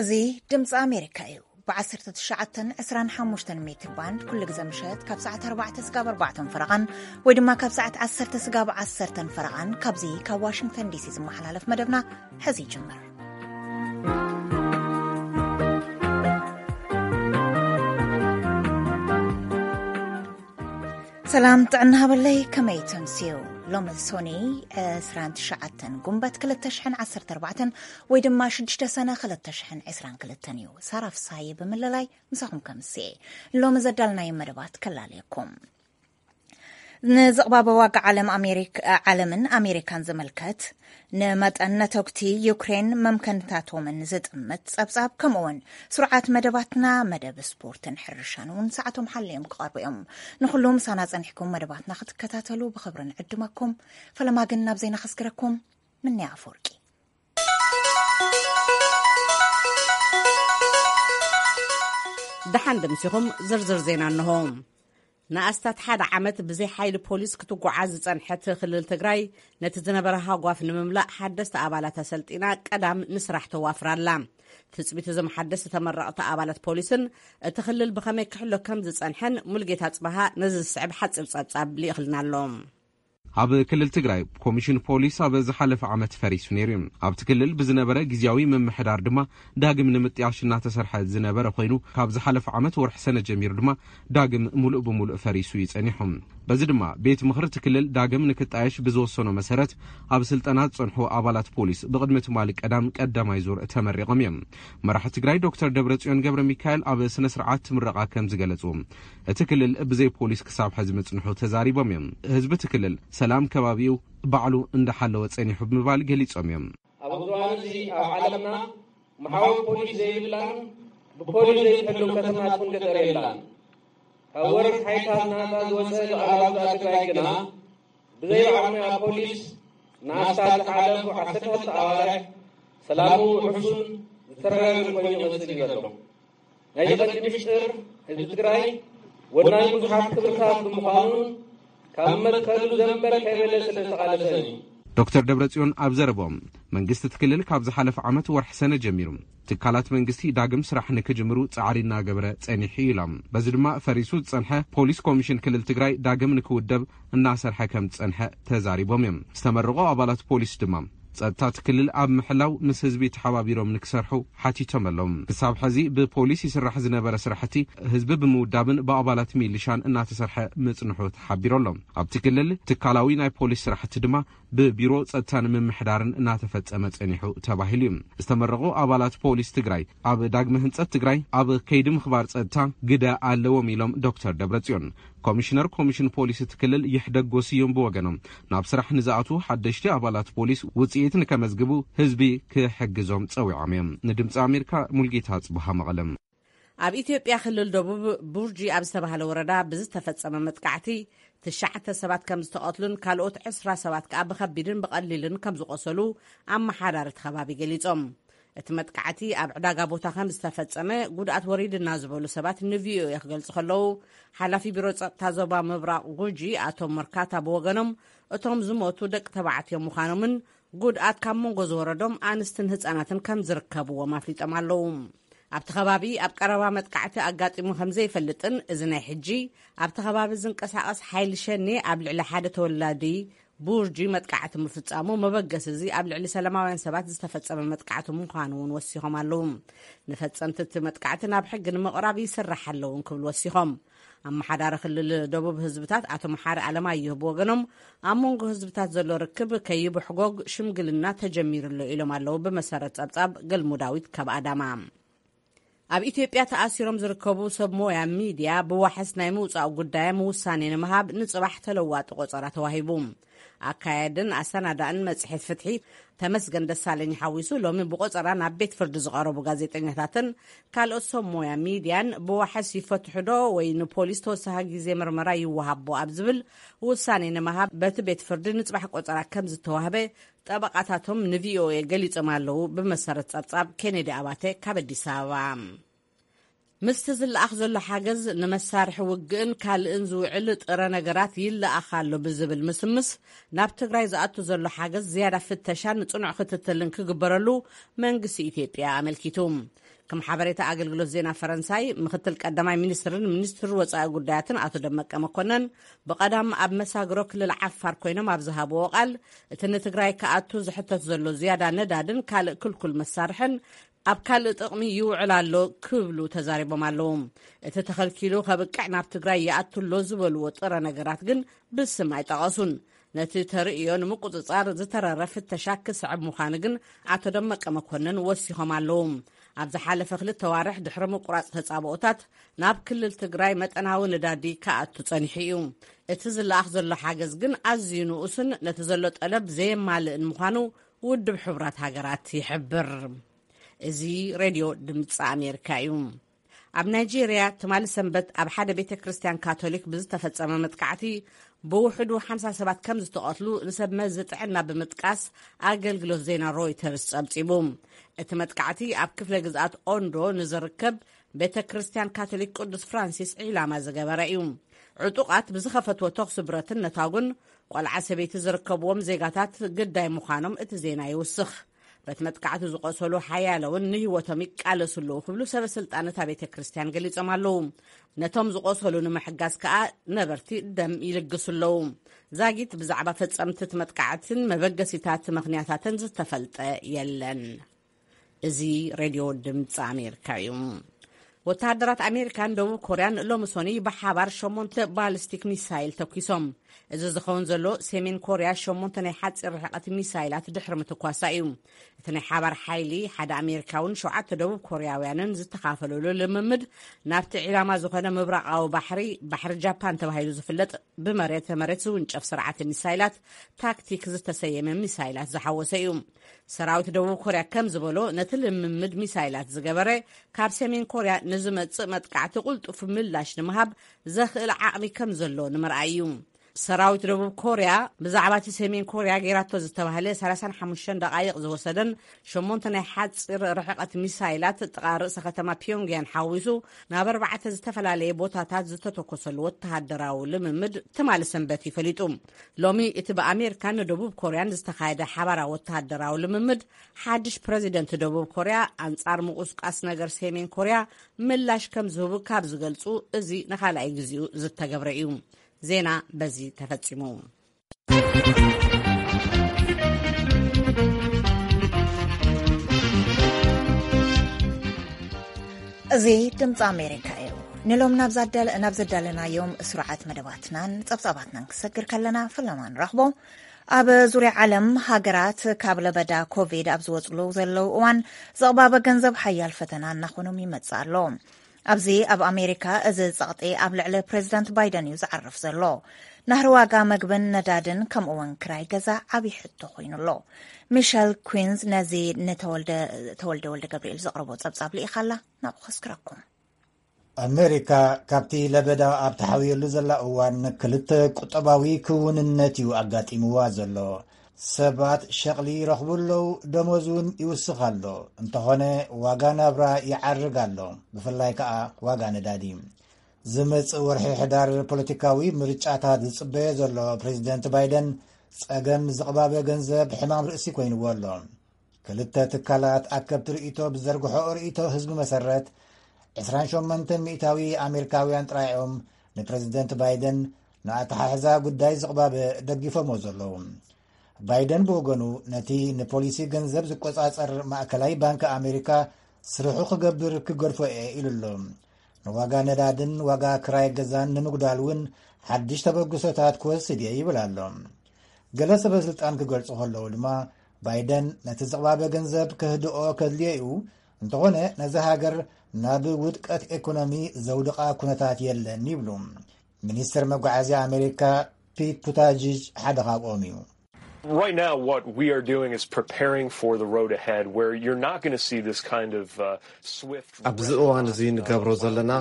እዚ ድምፂ ኣሜሪካ እዩ። ብ19፣ 25 ሜትር ባንድ ኩሉ ግዜ ምሸት ካብ ሰዓት ኣርባዕተ ስጋብ ኣርባዕተን ፈረቓን፣ ወይ ድማ ካብ ሰዓት ዓሰርተ ስጋብ ዓሰርተን ፈረቓን፣ ካብዚ ካብ ዋሽንግተን ዲሲ ዝመሓላለፍ መደብና ሕዚ ይጅምር። ሰላም ጥዕና ሃበለይ፣ ከመይ ተምስዩ? ሎሚ ሶኒ 29 ጉንበት 2014፣ ወይ ድማ ሽዱሽተ ሰነ 2022 እዩ። ሳራ ፍሳሐየ ብምልላይ ምሳኹም ከምስየ ሎሚ ዘዳልናዮ መደባት ከላለየኩም። ንዝቕባበ ዋጋ ዓለም ኣሜሪክ-፣ ዓለምን ኣሜሪካን ዝምልከት፣ ንመጠን ነተጉቲ ዩክሬን መምከንታቶምን ዝጥምት ጸብጻብ፣ ከምኡውን ስሩዓት መደባትና፣ መደብ ስፖርትን ሕርሻን እውን ሰዓቶም ሓልዮም ክቐርቡ እዮም። ንኹሉ ምሳና ጸኒሕኩም መደባትና ክትከታተሉ ብኽብሪ ንዕድመኩም። ፈለማ ግን ናብ ዜና ከስግረኩም። ምንያ ኣፈወርቂ። ደሓን ደምሲኹም። ዝርዝር ዜና እንሆ። ንኣስታት ሓደ ዓመት ብዘይ ሓይሊ ፖሊስ ክትጓዓዝ ዝጸንሐት ክልል ትግራይ፣ ነቲ ዝነበረ ሃጓፍ ንምምላእ ሓደስቲ ኣባላት ኣሰልጢና ቀዳም ንስራሕ ተዋፍር ኣላ። ትጽቢት እዞም ሓደስቲ ተመረቕቲ ኣባላት ፖሊስን እቲ ክልል ብኸመይ ክሕሎ ከም ዝጸንሐን ሙልጌታ ጽባሃ ነዚ ዝስዕብ ሓጺር ጸብጻብ ልኢኽልና ኣሎ። ኣብ ክልል ትግራይ ኮሚሽን ፖሊስ ኣብ ዝሓለፈ ዓመት ፈሪሱ ነይሩ እዩ። ኣብቲ ክልል ብዝነበረ ግዝያዊ ምምሕዳር ድማ ዳግም ንምጥያሽ እናተሰርሐ ዝነበረ ኮይኑ፣ ካብ ዝሓለፈ ዓመት ወርሒ ሰነ ጀሚሩ ድማ ዳግም ሙሉእ ብሙሉእ ፈሪሱ እዩ ጸኒሑ። በዚ ድማ ቤት ምኽሪ እቲ ክልል ዳግም ንክጣየሽ ብዝወሰኖ መሰረት፣ ኣብ ስልጠና ዝጸንሑ ኣባላት ፖሊስ ብቕድሚ ትማሊ ቀዳም ቀዳማይ ዙር ተመሪቖም እዮም። መራሒ ትግራይ ዶክተር ደብረጽዮን ገብረ ሚካኤል ኣብ ስነ ስርዓት ምረቓ ከም ዝገለጹ፣ እቲ ክልል ብዘይ ፖሊስ ክሳብ ሕዚ ምጽንሑ ተዛሪቦም እዮም። ህዝቢ እቲ ክልል ሰላም ከባቢኡ ባዕሉ እንዳሓለወ ጸኒሑ ብምባል ገሊጾም እዮም። ኣብ እዋን እዚ ኣብ ዓለምና መሓውር ፖሊስ ዘይብላን ብፖሊስ ዘይትሕሎ ከተማ ትኹን ገጠር የላን። ካብ ወረት ሓይልታት ናጻ ዝወጸ ሉዓላዊት ግዝኣት ትግራይ ግና ብዘይ በዓል ሞያ ፖሊስ ንኣስታት ዝሓለፉ ዓሰርተ ክልተ ኣዋርሕ ሰላሙ ውሑሱን ዝተረጋገን ኮይኑ ይቕጽል እዩ ዘሎ። ናይዚ ቀንዲ ምስጢር ህዝቢ ትግራይ ወናኒ ብዙሓት ክብርታት ብምዃኑን ካብ መትከሉ ዘንበል ከይበለ ስለ ዝተቓለሰን እዩ። ዶክተር ደብረጽዮን ኣብ ዘረብኦም፣ መንግስቲ እቲ ክልል ካብ ዝሓለፈ ዓመት ወርሒ ሰነ ጀሚሩ ትካላት መንግስቲ ዳግም ስራሕ ንክጅምሩ ጻዕሪ እናገበረ ጸኒሑ እዩ ኢሎም። በዚ ድማ ፈሪሱ ዝጸንሐ ፖሊስ ኮሚሽን ክልል ትግራይ ዳግም ንክውደብ እናሰርሐ ከም ዝጸንሐ ተዛሪቦም እዮም። ዝተመረቑ ኣባላት ፖሊስ ድማ ጸጥታ እቲ ክልል ኣብ ምሕላው ምስ ህዝቢ ተሓባቢሮም ንክሰርሑ ሓቲቶም ኣለዉ። ክሳብ ሕዚ ብፖሊስ ይስራሕ ዝነበረ ስራሕቲ ህዝቢ ብምውዳብን ብኣባላት ሚሊሻን እናተሰርሐ ምጽንሑ ተሓቢሩ ኣሎ። ኣብቲ ክልል ትካላዊ ናይ ፖሊስ ስራሕቲ ድማ ብቢሮ ጸጥታን ምምሕዳርን እናተፈጸመ ጸኒሑ ተባሂሉ እዩ። ዝተመረቑ ኣባላት ፖሊስ ትግራይ ኣብ ዳግመ ህንጸት ትግራይ ኣብ ከይዲ ምኽባር ጸጥታ ግደ ኣለዎም ኢሎም ዶክተር ደብረጽዮን። ኮሚሽነር ኮሚሽን ፖሊስ እቲ ክልል ይሕደጎ ስዩም ብወገኖም፣ ናብ ስራሕ ንዝኣትዉ ሓደሽቲ ኣባላት ፖሊስ ውጽኢት ንከመዝግቡ ህዝቢ ክሕግዞም ጸዊዖም እዮም። ንድምፂ ኣሜሪካ ሙልጌታ ጽቡሃ መቐለም። ኣብ ኢትዮጵያ ክልል ደቡብ ቡርጂ ኣብ ዝተባህለ ወረዳ ብዝተፈጸመ መጥቃዕቲ ትሽዓተ ሰባት ከም ዝተቐትሉን ካልኦት ዕስራ ሰባት ከኣ ብኸቢድን ብቐሊልን ከም ዝቖሰሉ ኣመሓዳሪ እቲ ከባቢ ገሊጾም። እቲ መጥቃዕቲ ኣብ ዕዳጋ ቦታ ከም ዝተፈጸመ፣ ጉድኣት ወሪድና ዝበሉ ሰባት ንቪኦኤ ክገልጹ ከለዉ፣ ሓላፊ ቢሮ ጸጥታ ዞባ ምብራቕ ጉጂ ኣቶ መርካታ ብወገኖም፣ እቶም ዝሞቱ ደቂ ተባዕትዮ ምዃኖምን ጉድኣት ካብ መንጎ ዝወረዶም ኣንስትን ህጻናትን ከም ዝርከብዎም ኣፍሊጦም ኣለዉ። ኣብቲ ከባቢ ኣብ ቀረባ መጥቃዕቲ ኣጋጢሙ ከም ዘይፈልጥን፣ እዚ ናይ ሕጂ ኣብቲ ከባቢ ዝንቀሳቐስ ሓይሊ ሸኔ ኣብ ልዕሊ ሓደ ተወላዲ ቡርጂ መጥቃዕቲ ምፍጻሙ፣ መበገሲ እዚ ኣብ ልዕሊ ሰላማውያን ሰባት ዝተፈጸመ መጥቃዕቲ ምዃኑ እውን ወሲኾም ኣለዉ። ንፈጸምቲ እቲ መጥቃዕቲ ናብ ሕጊ ንምቕራብ ይስራሕ ኣለዉ ክብሉ ወሲኾም። ኣመሓዳሪ ክልል ደቡብ ህዝብታት ኣቶ መሓሪ ኣለማየሁ ብወገኖም፣ ኣብ መንጎ ህዝብታት ዘሎ ርክብ ከይብሕጎግ ሽምግልና ተጀሚሩ ኣሎ ኢሎም ኣለዉ። ብመሰረት ጸብጻብ ገልሙ ዳዊት ካብ ኣዳማ። ኣብ ኢትዮጵያ ተኣሲሮም ዝርከቡ ሰብ ሞያ ሚድያ ብዋሕስ ናይ ምውጻእ ጉዳዮም ውሳኔ ንምሃብ ንጽባሕ ተለዋጢ ቆጸራ ተዋሂቡ። ኣካየድን ኣሰናዳእን መጽሔት ፍትሒ ተመስገን ደሳለኝ ሓዊሱ፣ ሎሚ ብቆጸራ ናብ ቤት ፍርዲ ዝቐረቡ ጋዜጠኛታትን ካልኦት ሰብ ሞያ ሚድያን ብዋሕስ ይፈትሑ ዶ ወይ ንፖሊስ ተወሳኺ ግዜ ምርመራ ይወሃቦ ኣብ ዝብል ውሳኔ ንምሃብ በቲ ቤት ፍርዲ ንጽባሕ ቆጸራ ከም ዝተዋህበ ጠበቓታቶም ንቪኦኤ ገሊጾም ኣለዉ። ብመሰረት ጸብጻብ ኬኔዲ ኣባተ ካብ ኣዲስ ኣበባ። ምስቲ ዝለኣኽ ዘሎ ሓገዝ ንመሳርሒ ውግእን ካልእን ዝውዕል ጥረ ነገራት ይለኣኽ ኣሎ ብዝብል ምስምስ፣ ናብ ትግራይ ዝኣቱ ዘሎ ሓገዝ ዝያዳ ፍተሻን ጽኑዕ ክትትልን ክግበረሉ መንግስቲ ኢትዮጵያ ኣመልኪቱ። ከም ሓበሬታ ኣገልግሎት ዜና ፈረንሳይ፣ ምክትል ቀዳማይ ሚኒስትርን ሚኒስትር ወጻኢ ጉዳያትን ኣቶ ደመቀ መኮነን ብቐዳም ኣብ መሳግሮ ክልል ዓፋር ኮይኖም ኣብ ዝሃብዎ ቃል፣ እቲ ንትግራይ ክኣቱ ዝሕተት ዘሎ ዝያዳ ነዳድን ካልእ ክልኩል መሳርሕን ኣብ ካልእ ጥቕሚ ይውዕል ኣሎ ክብሉ ተዛሪቦም ኣለዉ። እቲ ተኸልኪሉ ከብቅዕ ናብ ትግራይ ይኣቱ ኣሎ ዝበልዎ ጥረ ነገራት ግን ብስም ኣይጠቐሱን። ነቲ ተርእዮ ንምቁጽጻር ዝተረረ ፍተሻ ክስዕብ ምዃኑ ግን ኣቶ ደመቀ መኮነን ወሲኾም ኣለዉ። ኣብ ዝሓለፈ ክልተ ዋርሕ ድሕሪ ምቁራጽ ተጻብኦታት ናብ ክልል ትግራይ መጠናዊ ነዳዲ ክኣቱ ጸኒሑ እዩ። እቲ ዝለኣኽ ዘሎ ሓገዝ ግን ኣዝዩ ንኡስን ነቲ ዘሎ ጠለብ ዘየማልእን ምዃኑ ውድብ ሕቡራት ሃገራት ይሕብር። እዚ ሬድዮ ድምፂ ኣሜሪካ እዩ። ኣብ ናይጄርያ ትማሊ ሰንበት ኣብ ሓደ ቤተ ክርስቲያን ካቶሊክ ብዝተፈጸመ መጥቃዕቲ ብውሕዱ ሓምሳ ሰባት ከም ዝተቐትሉ ንሰብ መዚ ጥዕና ብምጥቃስ ኣገልግሎት ዜና ሮይተርስ ጸብጺቡ። እቲ መጥቃዕቲ ኣብ ክፍለ ግዝኣት ኦንዶ ንዝርከብ ቤተ ክርስቲያን ካቶሊክ ቅዱስ ፍራንሲስ ዒላማ ዝገበረ እዩ። ዕጡቓት ብዝኸፈትዎ ተኹሲ ብረትን ነታጉን ቆልዓ ሰበይቲ ዝርከብዎም ዜጋታት ግዳይ ምዃኖም እቲ ዜና ይውስኽ። በቲ መጥቃዕቲ ዝቆሰሉ ሓያለውን ንህይወቶም ይቃለሱ ኣለዉ ክብሉ ሰበ ስልጣን እታ ቤተ ክርስቲያን ገሊጾም ኣለዉ። ነቶም ዝቆሰሉ ንምሕጋዝ ከኣ ነበርቲ ደም ይልግሱ ኣለዉ። ዛጊት ብዛዕባ ፈጸምቲ እቲ መጥቃዕትን መበገሲታት ምኽንያታትን ዝተፈልጠ የለን። እዚ ሬድዮ ድምፂ ኣሜሪካ እዩ። ወተሃደራት ኣሜሪካን ደቡብ ኮርያን ሎሚ ሶኒ ብሓባር ሸሞንተ ባሊስቲክ ሚሳይል ተኲሶም። እዚ ዝኸውን ዘሎ ሰሜን ኮርያ ሸሞንተ ናይ ሓፂር ርሕቀት ሚሳይላት ድሕሪ ምትኳሳ እዩ። እቲ ናይ ሓባር ሓይሊ ሓደ ኣሜሪካውን ሸውዓተ ደቡብ ኮርያውያንን ዝተኻፈለሉ ልምምድ ናብቲ ዒላማ ዝኾነ ምብራቓዊ ባሕሪ፣ ባሕሪ ጃፓን ተባሂሉ ዝፍለጥ ብመሬት መሬት ዝውንጨፍ ስርዓት ሚሳይላት ታክቲክ ዝተሰየመ ሚሳይላት ዝሓወሰ እዩ። ሰራዊት ደቡብ ኮርያ ከም ዝበሎ ነቲ ልምምድ ሚሳይላት ዝገበረ ካብ ሰሜን ኮርያ ንዝመጽእ መጥቃዕቲ ቁልጡፍ ምላሽ ንምሃብ ዘኽእል ዓቕሚ ከም ዘሎ ንምርኣይ እዩ። ሰራዊት ደቡብ ኮርያ ብዛዕባ እቲ ሰሜን ኮርያ ገይራቶ ዝተባህለ ሰላሳን ሓሙሽተን ደቓይቕ ዝወሰደን ሸሞንተ ናይ ሓፂር ርሕቐት ሚሳይላት ጥቓ ርእሰ ከተማ ፒዮንግያን ሓዊሱ ናብ ኣርባዕተ ዝተፈላለየ ቦታታት ዝተተኮሰሉ ወተሃደራዊ ልምምድ ትማሊ ሰንበት እዩ ፈሊጡ። ሎሚ እቲ ብኣሜሪካን ንደቡብ ኮርያን ዝተኻየደ ሓባራዊ ወተሃደራዊ ልምምድ ሓድሽ ፕረዚደንት ደቡብ ኮርያ ኣንጻር ምቁስቃስ ነገር ሰሜን ኮርያ ምላሽ ከም ዝህቡ ካብ ዝገልጹ እዚ ንኻልኣይ ግዜኡ ዝተገብረ እዩ። ዜና በዚ ተፈጺሙ። እዚ ድምፂ ኣሜሪካ እዩ። ንሎም ናብ ዘዳለ-፣ ናብ ዘዳለናዮም ስሩዓት መደባትናን ጸብጻባትናን ክሰግር ከለና ፈለማ ንረኽቦ። ኣብ ዙርያ ዓለም ሃገራት ካብ ለበዳ ኮቪድ ኣብ ዝወጽሉ ዘለዉ እዋን ዘቕባበ ገንዘብ ሓያል ፈተና እናኾኖም ይመጽእ ኣሎ። ኣብዚ ኣብ ኣሜሪካ እዚ ጸቕጢ ኣብ ልዕሊ ፕሬዚዳንት ባይደን እዩ ዝዓርፍ ዘሎ። ናህሪ ዋጋ መግብን ነዳድን ከምኡ እውን ክራይ ገዛ ዓብዪ ሕቶ ኮይኑ ኣሎ። ሚሸል ኩዊንዝ ነዚ ንተወልደ፣ ተወልደ ወልደ ገብርኤል ዘቕረቦ ጸብጻብ ልኢኻላ፣ ናብኡ ከስክረኩም። ኣሜሪካ ካብቲ ለበዳ ኣብ ተሓውየሉ ዘላ እዋን ክልተ ቁጠባዊ ክውንነት እዩ ኣጋጢምዋ ዘሎ። ሰባት ሸቕሊ ይረኽቡ ኣለዉ፣ ደሞዝ እውን ይውስኽ ኣሎ። እንተኾነ ዋጋ ናብራ ይዓርግ ኣሎ፣ ብፍላይ ከኣ ዋጋ ነዳዲ። ዝመጽእ ወርሒ ሕዳር ፖለቲካዊ ምርጫታት ዝጽበዮ ዘሎ ፕሬዚደንት ባይደን ጸገም ዝቕባበ ገንዘብ ሕማም ርእሲ ኮይንዎ ኣሎ። ክልተ ትካላት ኣከብቲ ርእይቶ ብዘርግሖ ርእይቶ ህዝቢ መሰረት ዕስራን ሸሞንተን ሚእታዊ ኣሜሪካውያን ጥራይ እዮም ንፕሬዚደንት ባይደን ንኣተሓሕዛ ጉዳይ ዝቕባበ ደጊፎሞ ዘለዉ። ባይደን ብወገኑ ነቲ ንፖሊሲ ገንዘብ ዝቆጻጸር ማእከላይ ባንክ ኣሜሪካ ስርሑ ክገብር ክገድፎ እየ ኢሉ ኣሎ። ንዋጋ ነዳድን ዋጋ ክራይ ገዛን ንምጉዳል እውን ሓድሽ ተበግሶታት ክወስድ እየ ይብል ኣሎ። ገለ ሰበ ስልጣን ክገልጹ ከለዉ ድማ ባይደን ነቲ ዝቕባበ ገንዘብ ከህድኦ ከድልዮ እዩ፣ እንተኾነ ነዛ ሃገር ናብ ውድቀት ኤኮኖሚ ዘውድቓ ኩነታት የለን ይብሉ። ሚኒስትር መጓዓዝያ ኣሜሪካ ፒት ቡታጅጅ ሓደ ካብኦም እዩ። Right now, what we are doing is preparing for the road ahead, where you're not gonna see this kind of, uh, swift ኣብዚ እዋን እዚ ንገብሮ ዘለና፣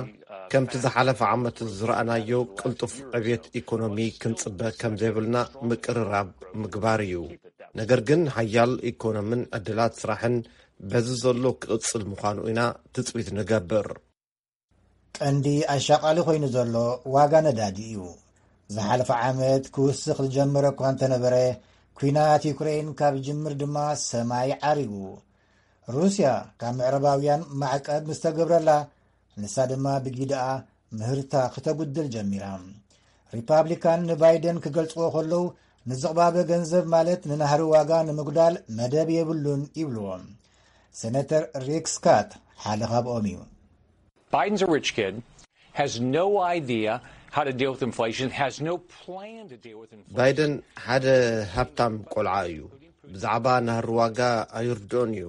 ከምቲ ዝሓለፈ ዓመት ዝረኣናዮ ቅልጡፍ ዕብየት ኢኮኖሚ ክንጽበ ከም ዘይብልና ምቅርራብ ምግባር እዩ። ነገር ግን ሓያል ኢኮኖምን ዕድላት ስራሕን በዚ ዘሎ ክቕጽል ምዃኑ ኢና ትጽቢት ንገብር። ቀንዲ ኣሻቓሊ ኮይኑ ዘሎ ዋጋ ነዳዲ እዩ። ዝሓለፈ ዓመት ክውስኽ ዝጀመረ እኳ እንተነበረ፣ ኲናት ዩክሬን ካብ ዝጅምር ድማ ሰማይ ዓሪጉ። ሩስያ ካብ ምዕራባውያን ማዕቀብ ምስ ተገብረላ፣ ንሳ ድማ ብጊድኣ ምህርታ ክተጉድል ጀሚራ። ሪፓብሊካን ንባይደን ክገልጽዎ ከለዉ፣ ንዝቕባበ ገንዘብ ማለት ንናህሪ ዋጋ ንምጉዳል መደብ የብሉን ይብልዎ። ሴነተር ሪክ ስካት ሓደ ካብኦም እዩ። Biden's a rich kid, has no idea how to deal with inflation, has no plan to deal with inflation. ባይደን ሓደ ሃብታም ቆልዓ እዩ። ብዛዕባ ናህሪ ዋጋ ኣይርድኦን እዩ።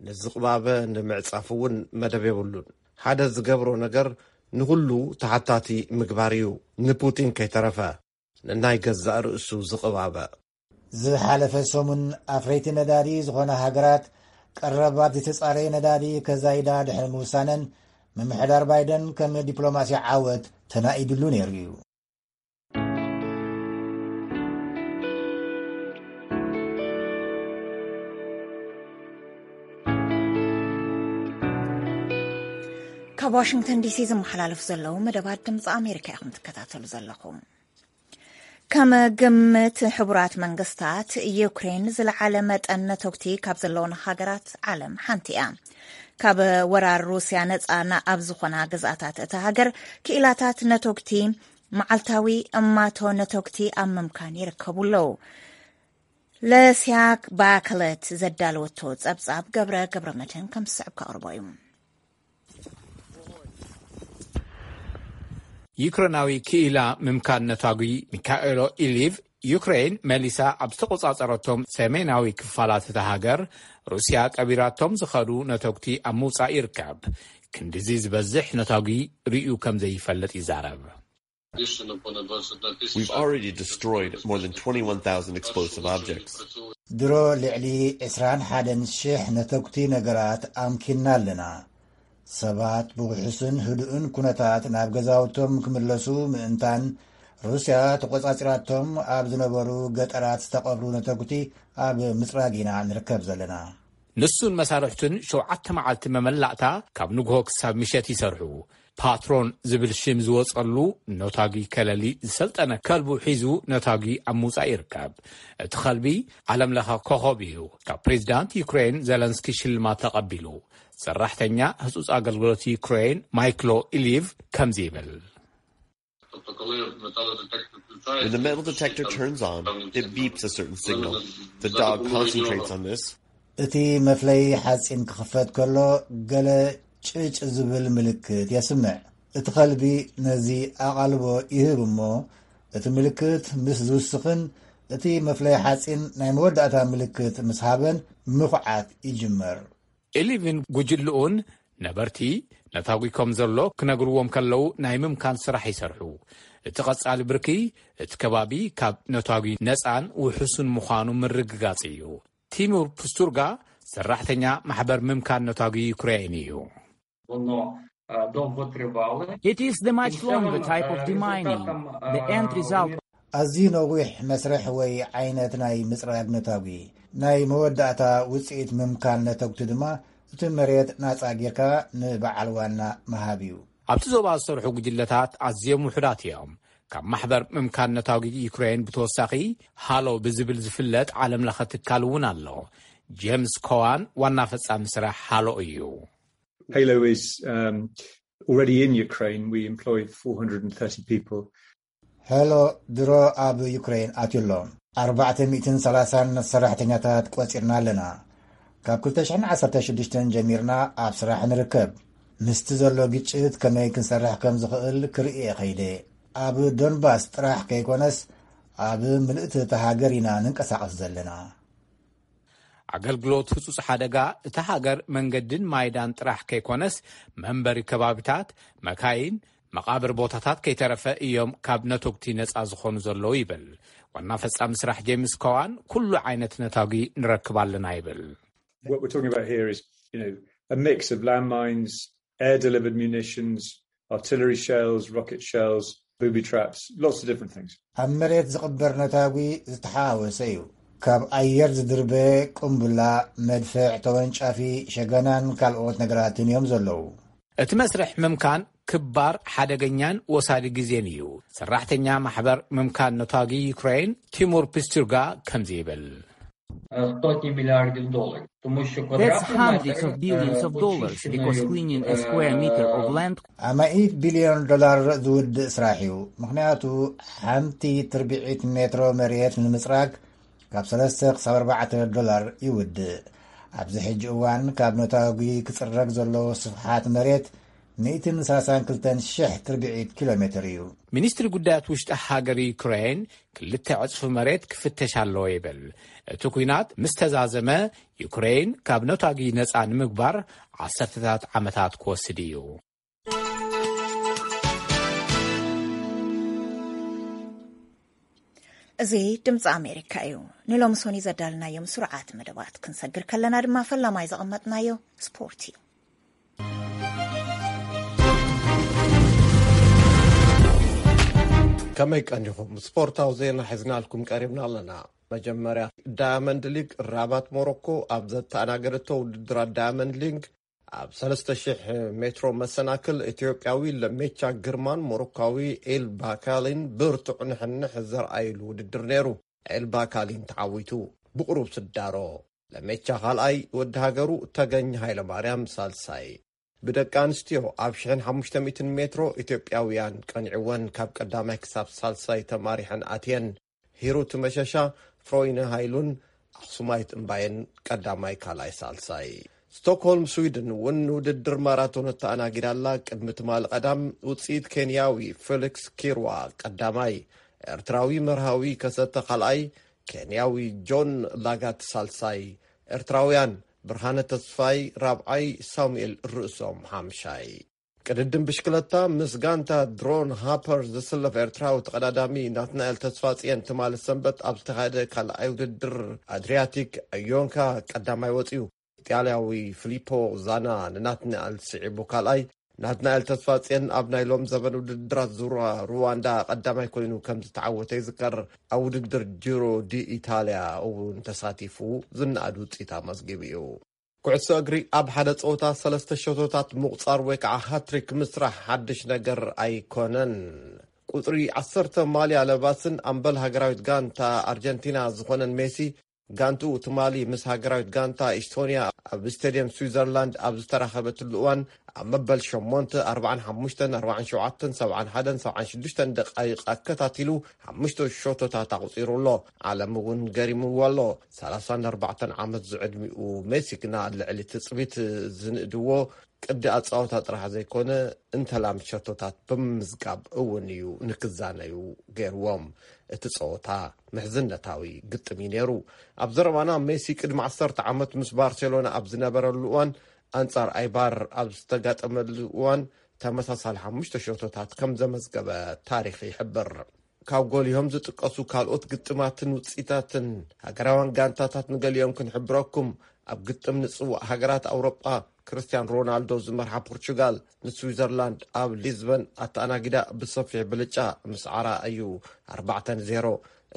ንዝቕባበ ንምዕጻፍ እውን መደብ የብሉን። ሓደ ዝገብሮ ነገር ንኹሉ ተሓታቲ ምግባር እዩ። ንፑቲን ከይተረፈ ንናይ ገዛእ ርእሱ ዝቕባበ። ዝሓለፈ ሰሙን ኣፍረይቲ ነዳዲ ዝኾና ሃገራት ቀረባት ዝተጻረየ ነዳዲ ከዛይዳ ድሕሪ ምውሳነን፣ ምምሕዳር ባይደን ከም ዲፕሎማሲ ዓወት ተናኢድሉ ነይሩ እዩ። ካብ ዋሽንግተን ዲሲ ዝመሓላለፍ ዘለዉ መደባት ድምፂ ኣሜሪካ ኢኹም ትከታተሉ ዘለኹም። ከም ግምት ሕቡራት መንግስታት፣ ዩክሬን ዝለዓለ መጠን ነተጉቲ ካብ ዘለውን ሃገራት ዓለም ሓንቲ እያ። ካብ ወራር ሩስያ ነፃ ኣብ ዝኾና ግዝኣታት እታ ሃገር፣ ክኢላታት ነተጉቲ መዓልታዊ እማቶ ነተጉቲ ኣብ ምምካን ይርከቡ ኣለዉ። ለሲያ ባክለት ዘዳለወቶ ጸብጻብ ገብረ ገብረ መድህን ከም ዝስዕብ ከቕርቦ እዩ። ዩክሬናዊ ክኢላ ምምካን ነታጒ ሚካኤሎ ኢሊቭ፣ ዩክሬን መሊሳ ኣብ ዝተቖጻጸረቶም ሰሜናዊ ክፋላት እታ ሃገር፣ ሩስያ ቀቢራቶም ዝኸዱ ነተጉቲ ኣብ ምውጻእ ይርከብ። ክንድዚ ዝበዝሕ ነታጒ ርእዩ ከም ዘይፈልጥ ይዛረብ። We've already destroyed more than twenty-one thousand explosive objects. ድሮ ልዕሊ ዕስራን ሓደን ሽሕ ነተጉቲ ነገራት ኣምኪንና ኣለና። ሰባት ብውሑስን ህዱእን ኩነታት ናብ ገዛውቶም ክምለሱ ምእንታን፣ ሩስያ ተቖጻጺራቶም ኣብ ዝነበሩ ገጠራት ዝተቐብሩ ነተጉቲ ኣብ ምጽራግ ኢና ንርከብ ዘለና። ንሱን መሳርሕቱን ሸውዓተ መዓልቲ መመላእታ ካብ ንግሆ ክሳብ ምሸት ይሰርሑ። ፓትሮን ዝብል ሽም ዝወጸሉ ነታጒ ከለሊ ዝሰልጠነ ከልቡ ሒዙ ነታጒ ኣብ ምውጻእ ይርከብ። እቲ ከልቢ ዓለምለኸ ኮኸብ እዩ። ካብ ፕሬዚዳንት ዩክሬን ዘለንስኪ ሽልማት ተቐቢሉ። ሰራሕተኛ ህጹጽ ኣገልግሎት ዩክሬን ማይክሎ ኢሊቭ ከምዚ ይብል። When the metal detector turns on, it beeps a certain signal. The dog concentrates on this. እቲ መፍለዪ ሓጺን ክኽፈት ከሎ፣ ገለ ጭጭ ዝብል ምልክት የስምዕ። እቲ ከልቢ ነዚ ኣቓልቦ ይህብ እሞ፣ እቲ ምልክት ምስ ዝውስኽን እቲ መፍለዪ ሓጺን ናይ መወዳእታ ምልክት ምስ ሃበን፣ ምኹዓት ይጅመር። ኢሊቭን ጉጅልኡን ነበርቲ ነታጒ ከም ዘሎ ክነግርዎም ከለዉ ናይ ምምካን ስራሕ ይሰርሑ። እቲ ቀጻሊ ብርኪ እቲ ከባቢ ካብ ነታጒ ነጻን ውሑስን ምዃኑ ምርግጋጽ እዩ። ቲሙር ፕስቱርጋ ሰራሕተኛ ማሕበር ምምካን ነታጒ ዩክሬን እዩ። It is the much longer type of demining. The end result. ኣዝዩ ነዊሕ መስርሕ ወይ ዓይነት ናይ ምጽራግ ነታጒ። ናይ መወዳእታ ውጽኢት ምምካን ነተጉቲ ድማ፣ እቲ መሬት ናጻ ጌርካ ንበዓል ዋና ምሃብ እዩ። ኣብቲ ዞባ ዝሰርሑ ጉጅለታት ኣዝዮም ውሑዳት እዮም። ካብ ማሕበር ምምካን ነታጒ ዩክሬን ብተወሳኺ፣ ሃሎ ብዝብል ዝፍለጥ ዓለምለኸ ትካል እውን ኣሎ። ጄምስ ኮዋን ዋና ፈጻሚ ስራሕ ሃሎ እዩ። Halo is um, already in Ukraine. We employ four hundred and thirty people. ሄሎ ድሮ ኣብ ዩክሬን ኣትዩ ኣሎ። ኣርባዕተ ሚእትን ሰላሳን ሰራሕተኛታት ቆጺርና ኣለና። ካብ ክልተ ሽሕን ዓሰርተ ሽዱሽተን ጀሚርና ኣብ ስራሕ ንርከብ። ምስቲ ዘሎ ግጭት ከመይ ክንሰርሕ ከም ዝኽእል ክርኢ እየ ከይደ። ኣብ ዶንባስ ጥራሕ ከይኮነስ፣ ኣብ ምልእቲ እታ ሃገር ኢና ንንቀሳቐስ ዘለና። ኣገልግሎት ህጹጽ ሓደጋ እታ ሃገር መንገድን ማይዳን ጥራሕ ከይኮነስ፣ መንበሪ ከባቢታት፣ መካይን፣ መቓብር ቦታታት ከይተረፈ እዮም ካብ ነተጉቲ ነጻ ዝኾኑ ዘለዉ ይብል። ዋና ፈጻሚ ስራሕ ጄምስ ኮዋን፣ ኩሉ ዓይነት ነታጒ ንረክብ ኣለና ይብል። What we're talking about here is, you know, a mix of landmines, air delivered munitions, artillery shells, rocket shells, booby traps, lots of different things. ኣብ መሬት ዝቕበር ነታጒ፣ ዝተሓዋወሰ እዩ። ካብ ኣየር ዝድርበ ቁምብላ፣ መድፍዕ፣ ተወንጫፊ፣ ሸገናን ካልኦት ነገራትን እዮም ዘለዉ። እቲ መስርሕ ምምካን ክባር፣ ሓደገኛን ወሳዲ ግዜን እዩ። ሰራሕተኛ ማሕበር ምምካን ነታጒ ዩክሬን ቲሙር ፒስቱርጋ ከምዚ ይብል። Сотні мільярдів доларів. Тому що That's квадратний hundreds метр, of billions е, of dollars, очищеної, because cleaning a е, square meter of land амኢት ቢልዮን ዶላር ዝውድእ ስራሕ እዩ። ምኽንያቱ ሓንቲ ትርቢዒት ሜትሮ መሬት ንምፅራግ ካብ ሰለስተ ክሳብ ኣርባዕተ ዶላር ይውድእ። ኣብዚ ሕጂ እዋን ካብ ነታጒ ክፅረግ ዘሎ ስፍሓት መሬት ሚእትን ሰላሳን ክልተን ሽሕ ትርቢዒት ኪሎ ሜትር እዩ። ሚኒስትሪ ጉዳያት ውሽጢ ሃገር ዩክሬን ክልተ ዕጽፊ መሬት ክፍተሽ ኣለዎ ይብል። እቲ ኲናት ምስ ተዛዘመ ዩክሬን ካብ ነታጒ ነጻ ንምግባር ዓሰርተታት ዓመታት ክወስድ እዩ። እዚ ድምፂ ኣሜሪካ እዩ። ንሎሚ ሶኒ ዘዳልናዮም ስሩዓት መደባት ክንሰግር ከለና ድማ ፈላማይ ዘቐመጥናዮ ስፖርት እዩ። ከመይ ቀኒኹም? ስፖርታዊ ዜና ሒዝናልኩም ቀሪብና ኣለና። መጀመርያ ዳያመንድ ሊግ ራባት ሞሮኮ ኣብ ዘተኣናገደቶ ውድድራት ዳያመንድ ሊግ ኣብ ሰለስተ ሽሕ ሜትሮ መሰናክል ኢትዮጵያዊ ለሜቻ ግርማን ሞሮካዊ ኤል ባካሊን ብርቱዕ ንሕንሕ ዘርኣይሉ ውድድር ነይሩ። ኤል ባካሊን ተዓዊቱ ብቁሩብ ስዳሮ። ለሜቻ ካልኣይ፣ ወዲ ሃገሩ ተገኝ ሃይለማርያም ሳልሳይ። ብደቂ ኣንስትዮ ኣብ ሽሕን ሓሙሽተ ሚእትን ሜትሮ ኢትዮጵያውያን ቀኒዕወን ካብ ቀዳማይ ክሳብ ሳልሳይ ተማሪሐን ኣትየን። ሂሩት መሸሻ፣ ፍሮይነ ሃይሉን ኣኽሱማይት እምባየን ቀዳማይ፣ ካልኣይ፣ ሳልሳይ። ስቶክሆልም ስዊድን እውን ውድድር ማራቶን እተኣናጊዳ ኣላ። ቅድሚ ትማሊ ቀዳም ውፅኢት ኬንያዊ ፌሊክስ ኪርዋ ቀዳማይ፣ ኤርትራዊ መርሃዊ ከሰተ ካልኣይ፣ ኬንያዊ ጆን ላጋት ሳልሳይ፣ ኤርትራውያን ብርሃነ ተስፋይ ራብዓይ፣ ሳሙኤል ርእሶም ሓምሻይ። ቅድድም ብሽክለታ ምስ ጋንታ ድሮን ሃፐር ዝስለፍ ኤርትራዊ ተቐዳዳሚ ናትናኤል ተስፋጽየን ትማሊ ሰንበት ኣብ ዝተኻየደ ካልኣይ ውድድር ኣድሪያቲክ ዮንካ ቀዳማይ ወጺኡ። ኢጣልያዊ ፊሊፖ ዛና ንናትናኤል ስዒቡ ካልኣይ። ናትናኤል ተስፋጽየን ኣብ ናይ ሎም ዘበን ውድድራት ዙራ ሩዋንዳ ቀዳማይ ኮይኑ ከም ዝተዓወተ ይዝከር። ኣብ ውድድር ጂሮ ዲ ኢታልያ እውን ተሳቲፉ ዝነኣድ ውጽኢት ኣመዝጊቡ እዩ። ኩዕሶ እግሪ ኣብ ሓደ ጸወታ ሰለስተ ሸቶታት ምቑጻር ወይ ከዓ ሃትሪክ ምስራሕ ሓድሽ ነገር ኣይኮነን። ቁጽሪ ዓሰርተ ማልያ ለባስን ኣምበል ሃገራዊት ጋንታ ኣርጀንቲና ዝኾነን ሜሲ፣ ጋንትኡ ትማሊ ምስ ሃገራዊት ጋንታ ኢስቶንያ ኣብ ስቴድየም ስዊዘርላንድ ኣብ ዝተራኸበትሉ እዋን፣ ኣብ መበል ሸሞንተ፣ ኣርባዓን ሓሙሽተን፣ ኣርባዓን ሸውዓተን፣ ሰብዓን ሓደን፣ ሰብዓን ሽዱሽተን ደቃይቕ ኣከታቲሉ ሓሙሽተ ሸቶታት ኣቑጺሩ ኣሎ። ዓለም እውን ገሪምዎ ኣሎ። ሰላሳን ኣርባዕተን ዓመት ዝዕድሚኡ ሜሲ ግና ልዕሊ ትጽቢት ዝንእድዎ ቅዲ ኣጻወታ ጥራሕ ዘይኮነ፣ እንተላም ሸቶታት ብምምዝጋብ እውን እዩ ንክዛነዩ ገይርዎም። እቲ ጸወታ ምሕዝነታዊ ግጥም እዩ ነይሩ። ኣብ ዘረባና ሜሲ ቅድሚ ዓሰርተ ዓመት ምስ ባርሴሎና ኣብ ዝነበረሉ እዋን ኣንጻር ኣይባር ኣብ ዝተጋጠመሉ እዋን ተመሳሳሊ ሓሙሽተ ሸቶታት ከም ዘመዝገበ ታሪኽ ይሕብር። ካብ ጎሊሆም ዝጥቀሱ ካልኦት ግጥማትን ውጽኢታትን ሃገራውያን ጋንታታት ንገሊኦም ክንሕብረኩም። ኣብ ግጥም ንጽዋዕ ሃገራት ኣውሮጳ ክርስቲያን ሮናልዶ ዝመርሓ ፖርቹጋል ንስዊዘርላንድ ኣብ ሊዝበን ኣተኣናጊዳ ብሰፊሕ ብልጫ ምስዓራ እዩ፣ ኣርባዕተ ንዜሮ።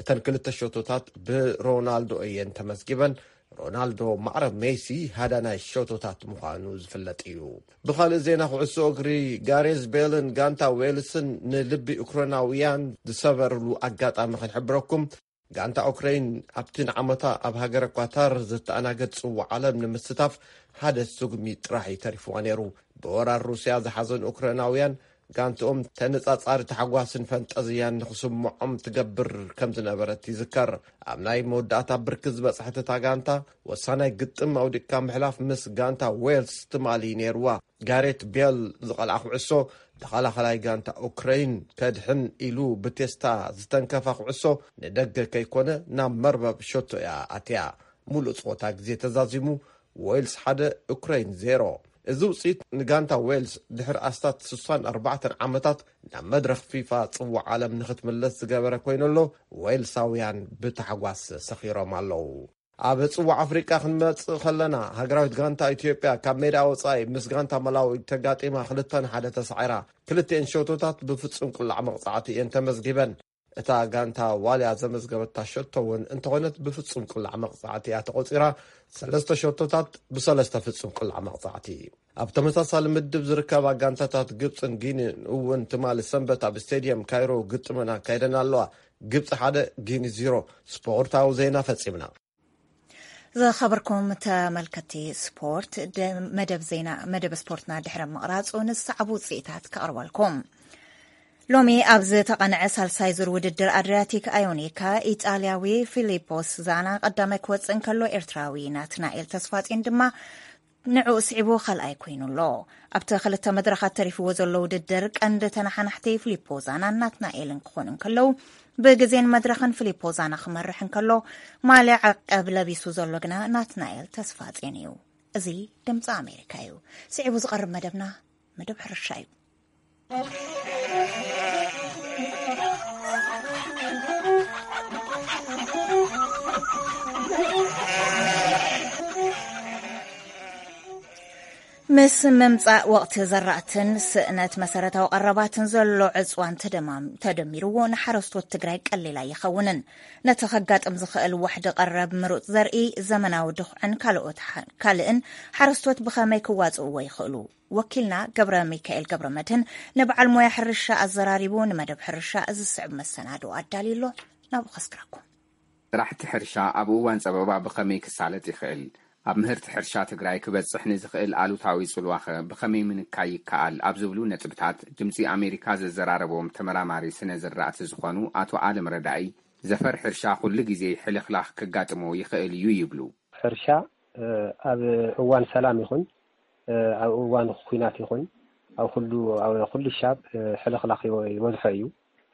እተን ክልተ ሸቶታት ብሮናልዶ እየን ተመዝጊበን። ሮናልዶ ማዕረ ሜሲ ሃዳናይ ሸቶታት ምዃኑ ዝፍለጥ እዩ። ብኻልእ ዜና ኩዕሶ እግሪ፣ ጋሬዝ ቤልን ጋንታ ዌልስን ንልቢ ዩክሬናውያን ዝሰበርሉ ኣጋጣሚ ክንሕብረኩም። ጋንታ ኡክረይን ኣብቲ ንዓመታ ኣብ ሃገረ ኳታር ዝተኣናገድ ጽዋዕ ዓለም ንምስታፍ ሓደ ስጉሚ ጥራሕ እዩ ተሪፍዋ ነይሩ። ብወራር ሩስያ ዝሓዘኑ ኡክረይናውያን ጋንትኦም ተነጻጻሪ ታሕጓስን ፈንጠዝያን ንኽስምዖም ትገብር ከም ዝነበረት ይዝከር። ኣብ ናይ መወዳእታ ብርኪ ዝበጽሐት እታ ጋንታ፣ ወሳናይ ግጥም ኣውዲቕካ ምሕላፍ ምስ ጋንታ ዌልስ ትማሊ ነይርዋ። ጋሬት ቤል ዝቐልዓ ኩዕሶ ተኸላኸላይ ጋንታ ኡክረይን ከድሕን ኢሉ ብቴስታ ዝተንከፋ ኩዕሶ ንደገ ከይኮነ ናብ መርበብ ሸቶ እያ ኣትያ። ሙሉእ ጸወታ ግዜ ተዛዚሙ፣ ዌልስ ሓደ፣ ኡክረይን ዜሮ። እዚ ውጽኢት ንጋንታ ዌልስ ድሕሪ ኣስታት ስሳን ኣርባዕተን ዓመታት ናብ መድረኽ ፊፋ ጽዋዕ ዓለም ንኽትምለስ ዝገበረ ኮይኑ ኣሎ፣ ዌልሳውያን ብታሕጓስ ሰኺሮም ኣለዉ። ኣብ ጽዋዕ ኣፍሪቃ ክንመጽእ ከለና፣ ሃገራዊት ጋንታ ኢትዮጵያ ካብ ሜዳ ወጻኢ ምስ ጋንታ መላዊ ተጋጢማ ክልተ ንሓደ ተሳዒራ። ክልቲኤን ሸቶታት ብፍጹም ቅላዕ መቕጻዕቲ እየን ተመዝጊበን። እታ ጋንታ ዋልያ ዘመዝገበታ ሸቶ እውን እንተኾነት ብፍጹም ቅላዕ መቕጻዕቲ እያ ተቖጺራ። ሰለስተ ሸቶታት ብሰለስተ ፍጹም ቅላዕ መቕጻዕቲ። ኣብ ተመሳሳሊ ምድብ ዝርከባ ጋንታታት ግብጽን ጊኒን እውን ትማሊ ሰንበት ኣብ ስቴድየም ካይሮ ግጥመን ኣካይደን ኣለዋ። ግብጺ ሓደ፣ ጊኒ ዜሮ። ስፖርታዊ ዜና ፈጺምና። ዝኸበርኩም ተመልከቲ ስፖርት፣ ደ-፣ መደብ ዜና፣ መደብ ስፖርትና ድሕሪ ምቕራጹ ንዝሰዕቡ ውጽኢታት ከቕርበልኩም። ሎሚ ኣብ ዝተቐንዐ ሳልሳይ ዙር ውድድር ኣድሪያቲክ ኣዮኒካ፣ ኢጣልያዊ ፊሊፖስ ዛና ቀዳማይ ክወጽእ እንከሎ፣ ኤርትራዊ ናትናኤል ተስፋጼን ድማ ንዕኡ ስዒቡ ካልኣይ ኮይኑ ኣሎ። ኣብቲ ክልተ መድረኻት ተሪፍዎ ዘሎ ውድድር ቀንዲ ተነሓናሕቲ ፊሊፖ ዛናን ናትናኤልን ክኾኑ እንከለዉ፣ ብግዜን መድረኽን ፊሊፖ ዛና ክመርሕ እንከሎ፣ ማልያ ዓቀብ ለቢሱ ዘሎ ግና ናትናኤል ተስፋጼን እዩ። እዚ ድምፂ ኣሜሪካ እዩ። ስዒቡ ዝቐርብ መደብና መደብ ሕርሻ እዩ። ምስ ምምጻእ ወቕቲ ዘራእትን ስእነት መሰረታዊ ቀረባትን ዘሎ ዕጽዋን ተደማም-፣ ተደሚርዎ ንሓረስቶት ትግራይ ቀሊል ኣይኸውንን። ነቲ ከጋጥም ዝኽእል ዋሕዲ ቀረብ ምሩጽ ዘርኢ ዘመናዊ ድኹዕን ካልኦት ሓ-፣ ካልእን ሓረስቶት ብኸመይ ክዋጽእዎ ይኽእሉ? ወኪልና ገብረ ሚካኤል ገብረ መድህን ንበዓል ሞያ ሕርሻ ኣዘራሪቡ ንመደብ ሕርሻ እዚ ዝስዕብ መሰናድኦ ኣዳልዩ ኣሎ። ናብኡ ከስክረኩም። ስራሕቲ ሕርሻ ኣብ እዋን ጸበባ ብኸመይ ክሳለጥ ይኽእል? ኣብ ምህርቲ ሕርሻ ትግራይ ክበጽሕ ንዝኽእል ኣሉታዊ ጽልዋኸ ብኸመይ ምንካይ ይከኣል? ኣብ ዝብሉ ነጥብታት ድምጺ ኣሜሪካ ዘዘራረቦም ተመራማሪ ስነ ዝራእቲ ዝኾኑ ኣቶ ኣለም ረዳኢ፣ ዘፈር ሕርሻ ኩሉ ግዜ ሕልኽላኽ ከጋጥሞ ይኽእል እዩ ይብሉ። ሕርሻ፣ እ፣ ኣብ እዋን ሰላም ይኹን፣ እ፣ ኣብ እዋን ኲናት ይኹን፣ ኣብ ኩሉ፣ ኣብ ኩሉ ሻብ፣ እ፣ ሕልኽላኽ ይበ-፣ ይበዝሖ እዩ።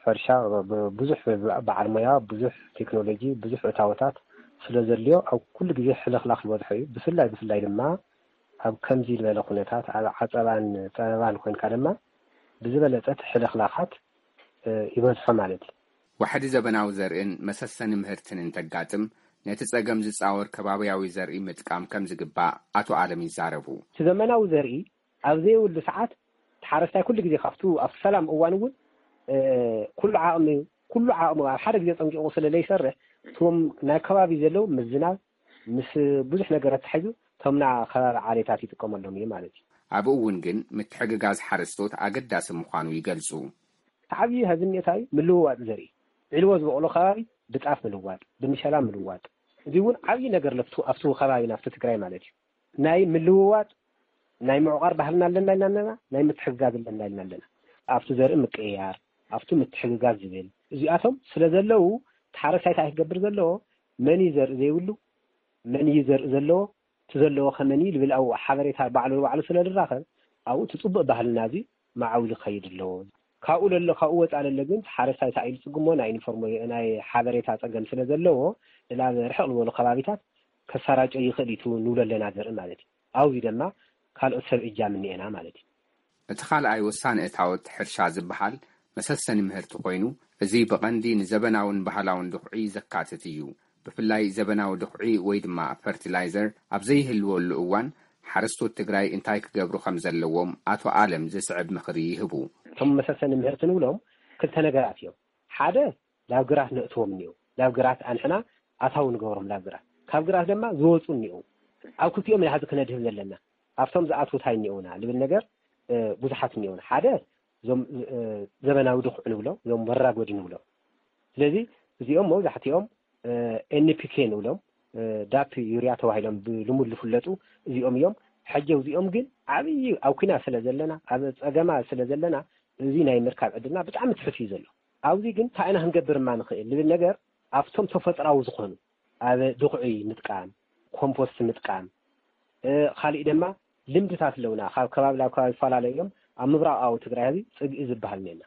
ሕርሻ ብ-፣ ብዙሕ በዓል ሞያ፣ ብዙሕ ቴክኖሎጂ፣ ብዙሕ እታወታት ስለ ዘድልዮ ኣብ ኩሉ ግዜ ሕልኽላኽ ይበዝሖ እዩ። ብፍላይ፣ ብፍላይ ድማ ኣብ ከምዚ ዝበለ ኩነታት፣ ኣብ ዓጸባን ጸበባን ኮንካ ድማ ብዝበለጸ እቲ ሕልኽላኻት፣ እ፣ ይበዝሖ ማለት እዩ። ዋሕዲ ዘበናዊ ዘርእን መሰሰኒ ምህርትን እንተጋጥም፣ ነቲ ጸገም ዝጻወር ከባብያዊ ዘርኢ ምጥቃም ከም ዝግባእ ኣቶ ኣለም ይዛረቡ። እቲ ዘመናዊ ዘርኢ ኣብ ዘይብሉ ሰዓት፣ እቲ ሓረስታይ ኩሉ ግዜ ካብቱ ኣብቲ ሰላም እዋን እውን፣ እ፣ ኩሉ ዓቕሚ፣ ኩሉ ዓቕሙ ኣብ ሓደ ግዜ ጸንቂቑ ስለ ዘይሰርሕ፣ እቶም ናይ ከባቢ ዘለዉ ምስ ዝናብ፣ ምስ ብዙሕ ነገር ኣተሓሒዙ፣ እቶም ና ከባቢ ዓሌታት ይጥቀመሎም እዩ ማለት እዩ። ኣብኡ እውን ግን ምትሕግጋዝ ሓረስቶት ኣገዳሲ ምዃኑ ይገልጹ። እቲ ዓብዪ ሀዚ እኒኦ እንታይ እዩ? ምልውዋጥ ዘርኢ። ዒልዎ ዝበቕሎ ከባቢ ብጣፍ ምልዋጥ፣ ብምሸላ ምልዋጥ። እዚ እውን ዓብዪ ነገር ለፍቱ ኣብቲ ከባቢ ናብቲ ትግራይ ማለት እዩ። ናይ ምልውዋጥ፣ ናይ ምዕቋር ባህልና ኣለና ኢልና ኣለና፣ ናይ ምትሕግጋዝ ኣለና ኢልና ኣለና። ኣብቲ ዘርኢ ምቅይያር፣ ኣብቲ ምትሕግጋዝ ዝብል፣ እዚኣቶም ስለ ዘለዉ፣ እቲ ሓረስታይ እንታይ ክገብር ዘለዎ? መን እዩ ዘርኢ ዘይብሉ? መን እዩ ዘርኢ ዘለዎ? እቲ ዘለዎ ከመን እዩ ዝብል ኣብኡ ሓበሬታ ባዕሉ ንባዕሉ ስለ ዝራኸብ፣ ኣብኡ እቲ ጽቡቕ ባህልና እዚ መዓውዩ ክኸይድ ኣለዎ። ካብኡ ለሎ፣ ካብኡ ወጻእ ለሎ ግን፣ ሓረስታይ እንታይ ኢሉ ጽግሞ ናይ ኢንፎርሞ-፣ ናይ ሓበሬታ ጸገም ስለ ዘለዎ፣ ናብ ርሕቕ ዝበሉ ከባቢታት ከሰራጨ ይኽእል እዩ፣ እቲ ንብሎ ኣለና ዘርኢ ማለት እዩ። ኣብዚ ድማ ካልኦት ሰብ እጃም እኒኤና ማለት እዩ። እቲ ካልኣይ ወሳኒ እታወት ሕርሻ ዝበሃል መሰሰኒ ምህርቲ ኮይኑ፣ እዚ ብቐንዲ ንዘበናውን ባህላውን ድኹዒ ዘካትት እዩ። ብፍላይ ዘበናዊ ድኹዒ ወይ ድማ ፈርቲላይዘር ኣብ ዘይህልወሉ እዋን፣ ሓረስቶት ትግራይ እንታይ ክገብሩ ከም ዘለዎም ኣቶ ኣለም ዝስዕብ ምኽሪ ይህቡ። እቶም መሰሰኒ ምህርቲ ንብሎም ክልተ ነገራት እዮም። ሓደ፣ ናብ ግራት ነእትዎም እኒኦ፣ ናብ ግራት ኣንሕና ኣታዊ ንገብሮም፣ ናብ ግራት፣ ካብ ግራት ድማ ዝወፁ እኒኦ። ኣብ ክልቲኦም ኢና ሕዚ ክነድህብ ዘለና። ኣብቶም ዝኣትዉ እንታይ እኒኦና ልብል ነገር፣ እ፣ ብዙሓት እኒኦና። ሓደ፣ እዞም፣ እ፣ ዘበናዊ ድኹዕ ንብሎ፣ እዞም መራጎዲ ንብሎ። ስለዚ እዚኦም መብዛሕትኦም፣ እ፣ ኤን ፒ ኬ ንብሎም፣ እ፣ ዳፕ ዩርያ ተባሂሎም ብልሙድ ዝፍለጡ እዚኦም እዮም። ሕጂ እዚኦም ግን ዓብዪ ኣብ ኲናት ስለ ዘለና፣ ኣብ ጸገማ ስለ ዘለና፣ እዚ ናይ ምርካብ ዕድልና ብጣዕሚ ትሑት እዩ ዘሎ። ኣብዚ ግን እንታይ ኢና ክንገብር እማ ንኽእል ልብል ነገር፣ ኣብቶም ተፈጥራዊ ዝኾኑ፣ ኣብ ድኹዒ ምጥቃም፣ ኮምፖስት ምጥቃም፣ እ፣ ካሊእ ድማ ልምድታት ኣለውና። ካብ ከባቢ ናብ ከባቢ ይፈላለዩ እዮም። ኣብ ምብራቓዊ ትግራይ ህዚ ጽግኢ ዝበሃል እኒአና።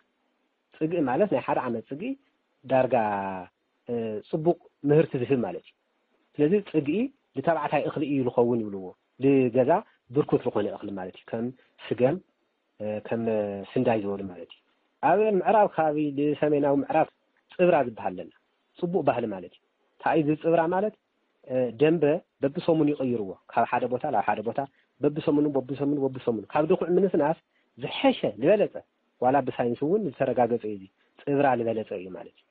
ጽግኢ ማለት ናይ ሓደ ዓመት ጽግኢ ዳርጋ፣ እ፣ ጽቡቕ ምህርቲ ዝህብ ማለት እዩ። ስለዚ ጽግኢ ንተባዕታይ እኽሊ እዩ ዝኸውን ይብልዎ። ንገዛ ብርኩት ዝኾነ እኽሊ ማለት እዩ። ከም ስገም፣ እ፣ ከም ስንዳይ ዝበሉ ማለት እዩ። ኣብ ምዕራብ ከባቢ፣ ንሰሜናዊ ምዕራብ ጽብራ ዝበሃል ኣለና። ጽቡቕ ባህሊ ማለት እዩ። እንታይ እዩ እዚ ጽብራ ማለት? እ፣ ደንበ በብሰሙኑ ይቕይርዎ። ካብ ሓደ ቦታ ናብ ሓደ ቦታ በብሰሙኑ፣ በብሰሙኑ፣ በብሰሙኑ። ካብ ድኹዕ ምንስናስ ዝሐሸ፣ ዝበለጸ፣ ዋላ ብሳይንስ እውን ዝተረጋገጸ እዩ። እዚ ጽብራ ዝበለጸ እዩ ማለት እዩ።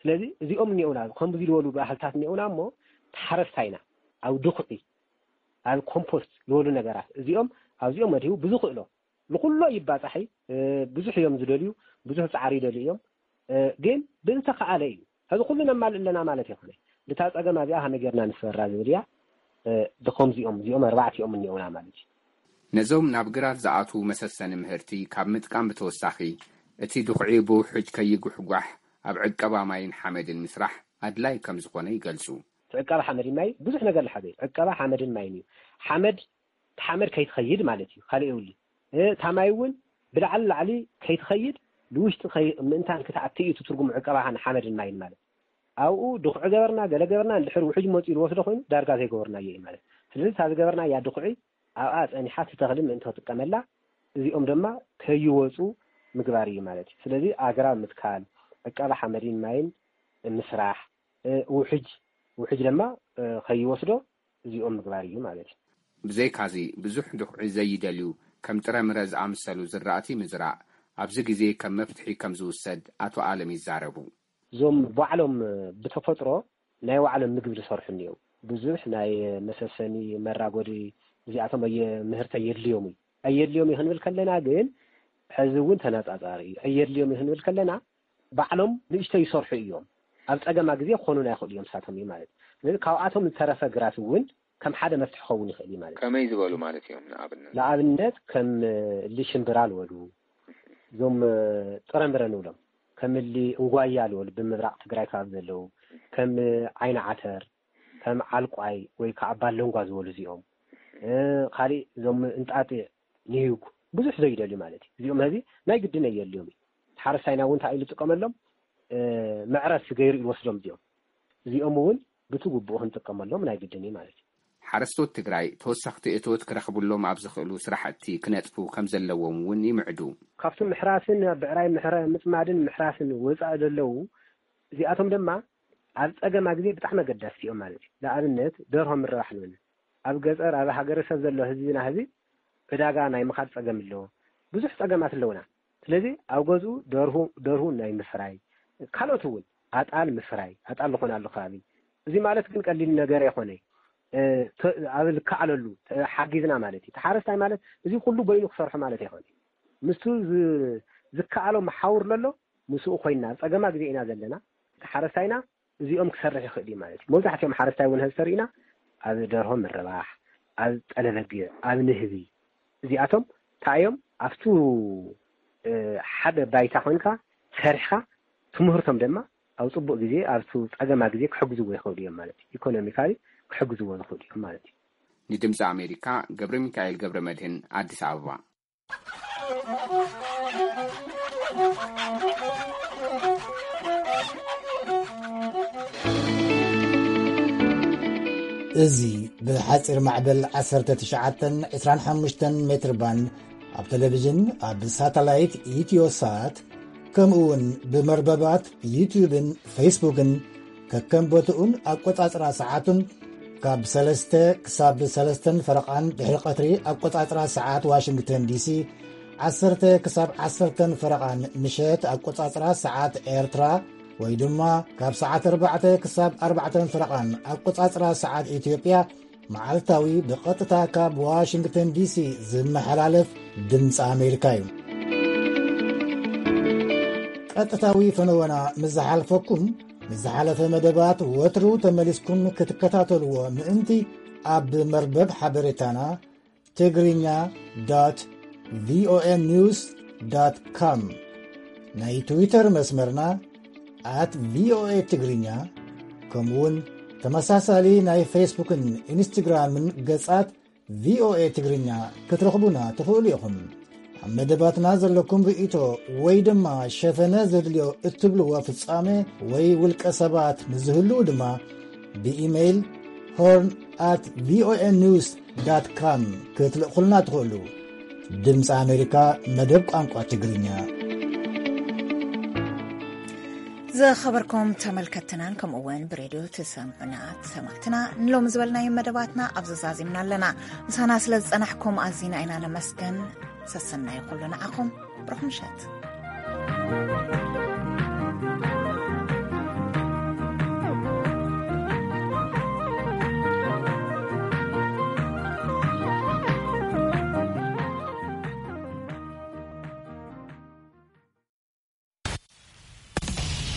ስለዚ እዚኦም እኒኦና፣ ከምዚ ዝበሉ ባህልታት እኒኦና እሞ፣ ተሓረስታይና ኣብ ድኹዒ፣ ኣብ ኮምፖስት ዝበሉ ነገራት፣ እዚኦም ኣብዚኦም መዲቡ ብዝኽእሎ፣ ንኹሎ ይባጻሕ እዩ። እ፣ ብዙሕ እዮም ዝደልዩ፣ ብዙሕ ጻዕሪ ይደልዩ እዮም። እ፣ ግን ብዝተኻኣለ እዩ። ሕዚ ኩሉ ነማልእ ኣለና ማለት ኣይኮነ። ነታ ጸገም እዚኣ ከመይ ጌርና ንስበራ ዝብል እያ። እ፣ ድኾም እዚኦም፣ እዚኦም ኣርባዕቲኦም እኒኦና ማለት እዩ። ነዞም ናብ ግራት ዝኣትዉ መሰሰኒ ምህርቲ ካብ ምጥቃም ብተወሳኺ፣ እቲ ድኹዒ ብውሕጅ ከይጉሕጓሕ ኣብ ዕቀባ ማይን ሓመድን ምስራሕ ኣድላይ ከም ዝኾነ ይገልጹ። ዕቀባ ሓመድን ማይ ብዙሕ ነገር ዝሓዘ እዩ። ዕቀባ ሓመድን ማይን እዩ። ሓመድ፣ ሓመድ ከይትኸይድ ማለት እዩ። ካልእ የብሉ። እ፣ እታ ማይ እውን ብላዕሊ ላዕሊ ከይትኸይድ፣ ንውሽጢ ከይ-፣ ምእንታን ክትኣቲ እዩ እቲ ትርጉም ዕቀባ ሓመድን ማይን ማለት። ኣብኡ ድኹዒ ገበርና፣ ገለ ገበርና፣ እንድሕር ውሕጅ መፂኡ ዝወስዶ ኮይኑ ዳርጋ ዘይገበርናዮ እዩ ማለት። ስለዚ እታ ዝገበርናያ ድኹዒ ኣብኣ ፀኒሓ እቲ ተኽሊ ምእንቲ ክጥቀመላ፣ እዚኦም ድማ ከይወፁ ምግባር እዩ ማለት እዩ። ስለዚ ኣግራብ ምትካል፣ ዕቀባ ሓመድን ማይን ምስራሕ፣ እ፣ ውሕጅ፣ ውሕጅ ድማ፣ እ፣ ከይወስዶ እዚኦም ምግባር እዩ ማለት እዩ። ብዘይካዚ ብዙሕ ድኹዒ ዘይደልዩ ከም ጥረምረ ዝኣመሰሉ ዝራእቲ ምዝራእ ኣብዚ ግዜ ከም መፍትሒ ከም ዝውሰድ ኣቶ ኣለም ይዛረቡ። እዞም ባዕሎም ብተፈጥሮ ናይ ባዕሎም ምግቢ ዝሰርሑ እኒኦም። ብዙሕ ናይ መሰሰኒ መራጎዲ እዚኣቶም ኣየ-፣ ምህርቲ ኣየድልዮም እዩ። ኣየድልዮም እዩ ክንብል ከለና ግን ሕዚ እውን ተነጻጻሪ እዩ። ኣየድልዮም እዩ ክንብል ከለና ባዕሎም ንእሽተይ ይሰርሑ እዮም። ኣብ ጸገማ ግዜ ክኾኑና ይኽእሉ እዮም፣ ንሳቶም እዩ ማለት። ስለዚ ካብኣቶም ዝተረፈ ግራት እውን ከም ሓደ መፍትሒ ክኸውን ይኽእል እዩ ማለት እዩ። ከመይ ዝበሉ ማለት እዮም? ንኣብነት ንኣብነት ከም እሊ ሽምብራ ዝበሉ፣ እዞም ጥረምረ ንብሎም፣ ከም እሊ እንጓያ ዝበሉ ብምብራቕ ትግራይ ከባቢ ዘለዉ፣ ከም ዓይኒ ዓተር፣ ከም ዓልቋይ ወይ ከዓ ባለንጓ ዝበሉ እዚኦም። እ፣ ካሊእ እዞም እንጣጢዕ፣ ኒዩግ፣ ብዙሕ ዘይደልዩ ማለት እዩ። እዚኦም ህዚ ናይ ግድን ኣየድልዮም እዩ። ሓረስታይና እውን እንታይ ኢሉ ይጥቀመሎም? እ፣ መዕረፊ ገይሩ እዩ ዝወስዶም እዚኦም። እዚኦም እውን ብቲ ግቡእ ክንጥቀመሎም ናይ ግድን እዩ ማለት እዩ። ሓረስቶት ትግራይ ተወሰኽቲ እቶት ክረኽብሎም ኣብ ዝኽእሉ ስራሕቲ ክነጥፉ ከም ዘለዎም እውን ይምዕዱ። ካብቶም ምሕራስን ኣብ ብዕራይ ምሕረ-፣ ምፅማድን ምሕራስን ወፃኢ ዘለዉ፣ እዚኣቶም ድማ ኣብ ፀገማ ግዜ ብጣዕሚ ኣገዳሲ እዮም ማለት እዩ። ንኣብነት ደርሆ ምርባሕ ንብል። ኣብ ገፀር ኣብ ሃገረሰብ ዘሎ ህዝብና ህዚ ዕዳጋ ናይ ምኻድ ፀገም ኣለዎ። ብዙሕ ፀገማት ኣለውና። ስለዚ ኣብ ገዝኡ ደርሁ፣ ደርሁ ናይ ምፍራይ፣ ካልኦት እውን ኣጣል ምፍራይ፣ ኣጣል ዝኾናሉ ከባቢ። እዚ ማለት ግን ቀሊል ነገር ኣይኮነ። እ፣ ተ-፣ ኣብ ልከዓለሉ ተሓጊዝና ማለት እዩ። ተሓረስታይ ማለት እዚ ኩሉ በይኑ ክሰርሖ ማለት ኣይኮነ። ምስቱ ዝ-፣ ዝከኣሎ መሓውር ለሎ ምስኡ ኮይና ኣብ ጸገማ ግዜ ኢና ዘለና። ተሓረስታይና እዚኦም ክሰርሕ ይኽእል እዩ ማለት እዩ። መብዛሕትኦም ሓረስታይ እውን ህዚ ተሪእና ኣብ ደርሆ ምርባሕ፣ ኣብ ጠለበጊዕ፣ ኣብ ንህቢ፣ እዚኣቶም እንታይ እዮም? ኣብቱ፣ እ፣ ሓደ ባይታ ኮይንካ ሰሪሕካ ትምህርቶም ድማ ኣብ ጽቡቕ ግዜ፣ ኣብቱ ጸገማ ግዜ ክሕግዝዎ ይኽእሉ እዮም ማለት እዩ። ኢኮኖሚካሊ ክሕግዝዎ ዝኽእሉ እዮም ማለት እዩ። ንድምፂ ኣሜሪካ ገብረ ሚካኤል ገብረ መድህን፣ ኣዲስ ኣበባ። እዚ ብሓጺር ማዕበል ዓሰርተ ትሽዓተን ዕስራን ሓሙሽተን ሜትር ባንድ ኣብ ቴሌቪዥን፣ ኣብ ሳተላይት ኢትዮሳት፣ ከምኡ እውን ብመርበባት ዩትዩብን ፌስቡክን ከከም ቦትኡን ኣቆጻጽራ ሰዓቱን ካብ ሰለስተ ክሳብ ሰለስተን ፈረቓን ድሕሪ ቀትሪ ኣቆጻጽራ ሰዓት ዋሽንግተን ዲሲ፣ ዓሰርተ ክሳብ ዓሰርተን ፈረቓን ምሸት ኣቆጻጽራ ሰዓት ኤርትራ፣ ወይ ድማ ካብ ሰዓት ኣርባዕተ ክሳብ ኣርባዕተን ፈረቓን ኣቆጻጽራ ሰዓት ኢትዮጵያ፣ መዓልታዊ ብቐጥታ ካብ ዋሽንግተን ዲሲ ዝመሓላለፍ ድምፂ ኣሜሪካ እዩ። ቀጥታዊ ፈነወና ምስ ዝሓልፈኩም፣ ንዝሓለፈ መደባት ወትሩ ተመሊስኩም ክትከታተልዎ ምእንቲ፣ ኣብ መርበብ ሓበሬታና ትግርኛ ዶት ቪኦኤ ኒውስ ዶት ኮም፣ ናይ ትዊተር መስመርና ኣት ቪኦኤ ትግርኛ፣ ከምኡውን ተመሳሳሊ ናይ ፌስቡክን ኢንስትግራምን ገጻት ቪኦኤ ትግርኛ ክትረኽቡና ትኽእሉ ኢኹም። ኣብ መደባትና ዘለኩም ርእይቶ ወይ ድማ ሸፈነ ዘድልዮ እትብልዎ ፍጻመ ወይ ውልቀ ሰባት ንዝህልዉ ድማ ብኢሜይል ሆርን ኣት ቪኦኤ ኒውስ ዳት ካም ክትልእኹልና ትኽእሉ። ድምፂ ኣሜሪካ፣ መደብ ቋንቋ ትግርኛ። ዝኸበርኩም ተመልከትናን ከምኡ እውን ብሬድዮ ትሰምዑና ሰማዕትና፣ ንሎሚ ዝበልናዮ መደባትና ኣብዚ ዛዚምና ኣለና። ምሳና ስለ ዝጸናሕኩም ኣዚና ኢና ነመስገን። ሰሰናዩ ኩሉ ንዓኹም። ብሩኽ ምሸት።